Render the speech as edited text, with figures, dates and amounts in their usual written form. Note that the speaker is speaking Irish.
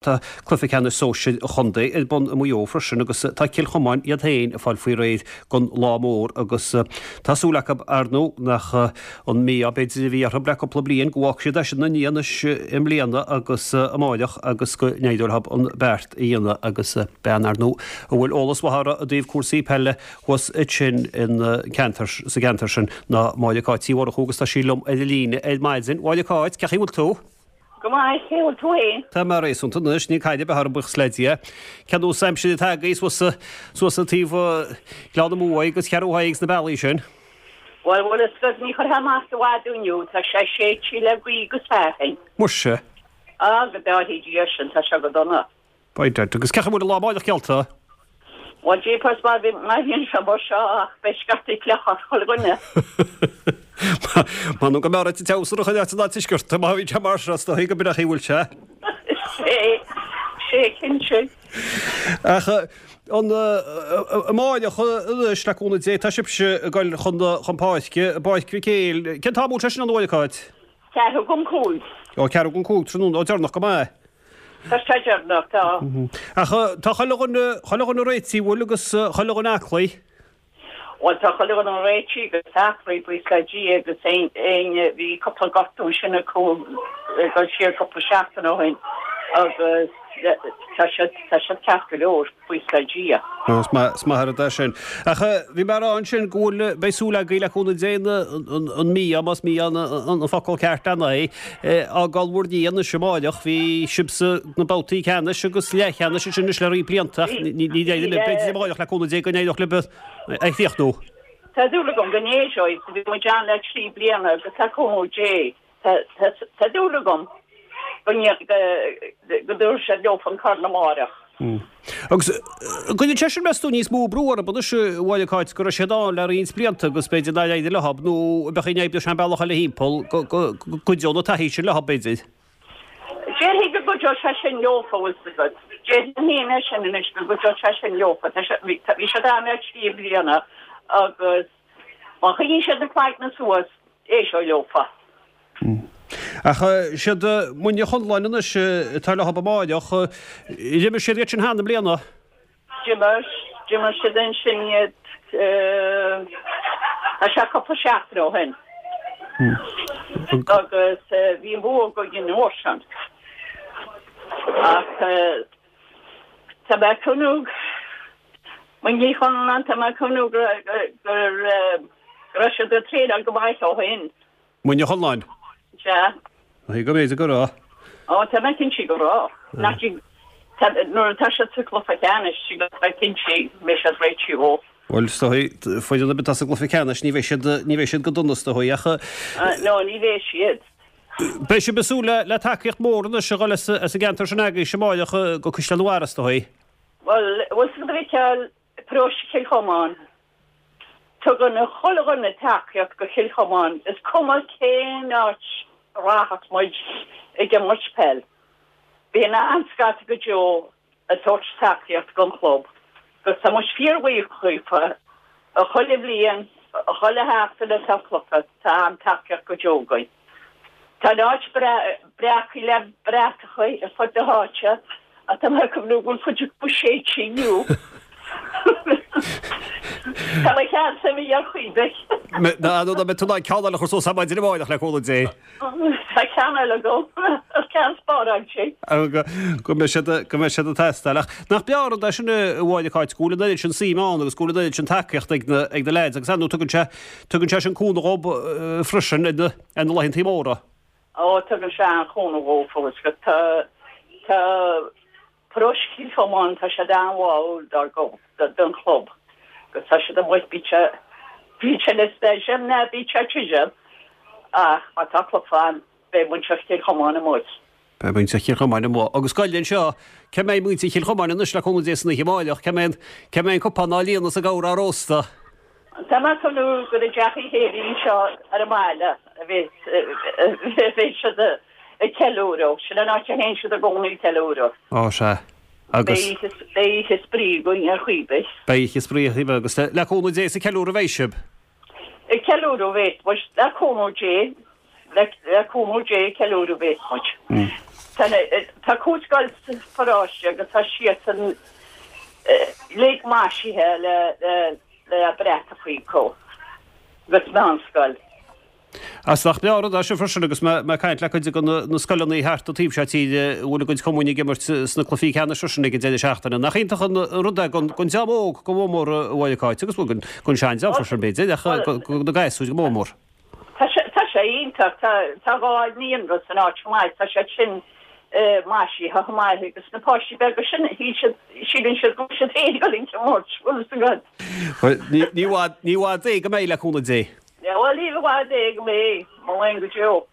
Tá cluiche ceannais sóisir an chontae ar bun i Maigh Eo freisin agus tá Cill Chomáin iad féin ag fáil faoi réir don lá mór agus tá súil acu, ar ndóigh, nach an mí-ádh b'fhéidir a bhí orthu le cúpla bliain go bhfágfaidh siad é sin ina ndiaidh anois i mbliana agus amáireach agus go n-éireoidh leo an beart a dhéanamh agus bean, ar ndóigh, a bhfuil eolas mhaith uirthi i dtaobh cúrsaí peile thuas ansin sa gceantar sin ná Máire Cáit Uí Mhurchú agus tá sí liom ar an líne ar maidin. Máire Cáit, cén chaoi a bhfuil tú? Go maith, cén chaoi a bhfuil tú fhéin? Tá mé réasúnta anois, níl caid ar bith orm, buíochas le Dia. Cén nós aimsire atá agaibh suas, suas an taobh Ghleann na Muaidhe agus Cheathrú Thaidhg agus na bealaí sin? Bhuel, bhfuil fhios agat, ní chuirfeá amach i bhfad inniu, tá sé séidte le gaoth agus fearthainn. Muise. Á, go dtáirfidh Dia sinn, tá sé go dona. By dad, agus cén chaoi a bhfuil an lá amáireach geallta? Bhuel, jeepers, má bhíonn sé mar seo ach beidh scaifte fliuch ar chuile dhuine. M'anam go mb'fhearr duit an t-amhsar a choinneáilt san tuaisceart, má bhíonn sé mar seo, is dóigh go b'in é an chaoi a bhfuil sé. Sé, sé cinnte. Ach an amáireach anois, le cúnamh Dé, tá sibhse ag dul chun chun páirce, i bPáirc Mhic Éil. Cén t-am a bhfuil sé sin ann, a Mháire Cáit? Ceathrú don chúig. Ó, ceathrú don chúig tráthnóna, ó deireanach go maith. Tá sé deireanach, tá. Ach tá chuile dhuine, chuile dhuine réitithe, bhfuil, agus chuile dhuine aclaí? Bhuel, tá chuile dhuine réitithe agus aclaí, buíochas le Dia, agus éinne, bhí cúpla gortú ansin acu ag dul siar cúpla seachtain ó shin agus tá siad, tá siad ceart go leor. Buíochas le Dia. Is maith, is maith an rud é sin. Ach bhí mé a rá ansin go bhfuil, beidh súil agaibh le cúnamh Dé an mí-ádh, más mí-ádh an focal ceart ann é, a fhágáil bhur ndiaidh anois amáireach. Bhí sibhse sna babhtaí ceannais agus leathcheannais ansin anois le roinnt blianta ach ní éireoidh libh, b'fhéidir amáireach le cúnamh Dé go n-éireodh libh é a chríochnú. Tá dúil agam go n-éireoidh. Bhí muid ann le 3 bliana agus le cúnamh Dé Tá dúil agam go dtabharfaidh siad leofa an corn amáireach. Agus an gcuireann sé sin, meas tú, níos mó brú orthu anois, a Mháire Cáit, go raibh siad ann le roinnt blianta agus b'fhéidir nár éirigh leo, nó an mbeadh an oibreoidh sé an bealach eile thimpeall, go gcuideodh na taithí sin leo, b'fhéidir? Déarfainn go gcuideodh sé sin leofa, bhfuil 's agat. Déarfainn féin é sin anois, go gcuideodh sé sin leofa. Bhí siad ann le 3 bliana agus Má choinníonn siad na cloigne suas, éireoidh leofa. Ach siad Muine Chonláin anois atá leo amáireach. D'imir siad iad sin cheana i mbliana. D'imir, d'imir siad ansin iad, tá sé cúpla seachtain ó shin. Agus bhí an bua againn an uair sin. Ach tá mé ag cuimhniú Muine Chonláin, tá mé ag cuimhniú go raibh siad ag traenáil go maith ó shin. Muine Chonláin? Sea. Go mb'fhéidir go raibh. Ó, tá mé cinnte go raibh. Nach dtig, nuair atá siad sa gcluiche ceannais, tig leat bheith cinnte go mbeidh siad réitithe dhó. Bhuel, is dóigh, foireann ar bith atá sa gcluiche ceannais, ní bheidh siad, ní bheidh siad go dona, is dóigh, ach. No, ní bheidh siad. Beidh sibh ag súil le tacaíocht mhór anois a dhul as an gceantar sin agaibhse amáireach go Caisleán an Bharraigh, is dóigh. Bhuel, bhfuil 's agat a Mhicheáil, paróiste Chill Chomáin, tugann chuile dhuine tacaíocht go Chill Chomáin, is cuma cén áit a rachas muid ag imirt peil, bíonn an-scata go deo ag tabhairt tacaíocht don chlub agus tá muid fíorbhuíoch dhaofa, chuile bhliain, chuile sheachtain atá cluiche, tá an-tacaíocht go deo againn. Tá an áit breactha le bratacha ar fud na háite ach tá mé ag cuimhniú go bhfuil cuid acu séidte inniu. Tá mo cheannsa imithe ar chaoi ar bith. Ná nó mbeidh tú in ann ceann eile a chur suas ar maidin amárach le cúnamh Dé. Tá ceann eile agam, ceann spáráilte. Go mbeidh siad go mbeidh siad ag teastáil. Ach nach breá an rud é sin a Mháire Cáit go bhfuil an oiread sin suime ann agus go bhfuil an oiread sin tacaíocht ag na ag na leaids agus ar ndóigh tugann sé Tugann sé sin cúnamh dhób freisin ar na ar na laethantaí móra. Ó, tugann sé an-chúnamh dhófa agus go tá tá paróiste Chill Chomáin, tá siad an-bháúil dár gclub, don chlub agus tá siad amuigh, bíonn sé bíonn sé le staidiam ná bíonn sé tirim ach má tá cluiche ann beidh muintir Chill Chomáin amuigh. Beidh muintir Chill Chomáin amuigh. Agus goil anseo, cá mbeidh muintir Chill Chomáin anois le cúnamh Dé san oíche amáireach? Cá mbeidh, cá mbeidh an cupán á líonadh is an gabhar á róstadh? Tá mé ag cuimhniú gur i dteach Uí Shéalaí anseo ar an mbaile a bheas, a bheidh siad ag ceiliúradh. Sin an áit a théann siad i gcónaí ag ceiliúradh. Ó, sea. Agus. Beidh oíche, beidh oíche spraoi againn ar chaoi ar bith. Beidh oíche spraoi ar chaoi ar bith agus le cúnamh Dé is ag ceiliúradh a bheidh sibh. Ag ceiliúradh a bheas muid, le cúnamh Dé, le cúnamh Dé ag ceiliúradh a bheas muid. Tá cúig scoil sa pharóiste agus tá siadsan uilig maisithe le le bratachaí acu agus meánscoil. Is nach breá an rud é sin freisin agus mé ag caint le cuid de na scoileanna thart an taobh seo tíre a bhfuil a gcuid cumainn ag imirt sna cluichí ceannais freisin ag an deireadh seachtaine. Nach iontach an rud é don dream óg go mór mór a Mháire Cáit agus bhuel don seandream freisin b'fhéidir ach do na gasúir go mór mór. Tá sé, tá sé iontach. Tá, tá 2 naíonra san áit chomh maith. Tá siad sin maisithe chomh maith agus na páistí beaga sin, shíl siad, síleann siad go bhfuil siad féin ag dul ag imirt, bhfuil fhios agat. Bhuel, ní, ní i bhfad, ní i bhfad é go mbeidh, le cúnamh Dé. Bhuel, ní i bhfad é go mbeidh, mo léan go deo.